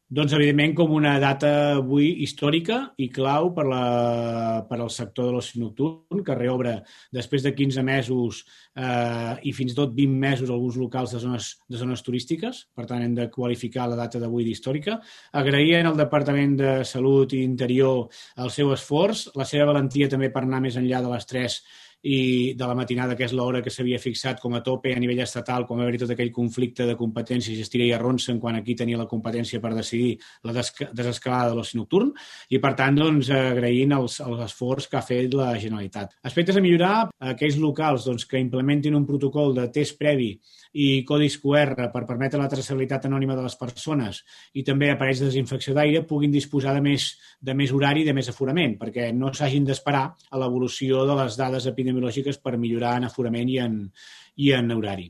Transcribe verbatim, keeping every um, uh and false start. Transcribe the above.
Doncs, evidentment, com una data avui històrica i clau per, la, per al sector de l'oci nocturn, que reobre després de quinze mesos eh, i fins i tot vint mesos alguns locals de zones, de zones turístiques. Per tant, hem de qualificar la data d'avui d'històrica. Agraïen al Departament de Salut i Interior el seu esforç, la seva valentia també per anar més enllà de les tres i de la matinada, que és l'hora que s'havia fixat com a tope a nivell estatal, com va haver-hi tot aquell conflicte de competències, es tira i arronsen quan aquí tenia la competència per decidir la desescalada de l'oci nocturn, i per tant, doncs, agraint els, els esforç que ha fet la Generalitat. Aspectes a millorar: aquells locals doncs, que implementin un protocol de test previ i codis Q R per permetre la traçabilitat anònima de les persones i també aparells de desinfecció d'aire puguin disposar de més, de més horari i de més aforament, perquè no s'hagin d'esperar a l'evolució de les dades epidemiològiques per millorar en aforament i en, i en horari.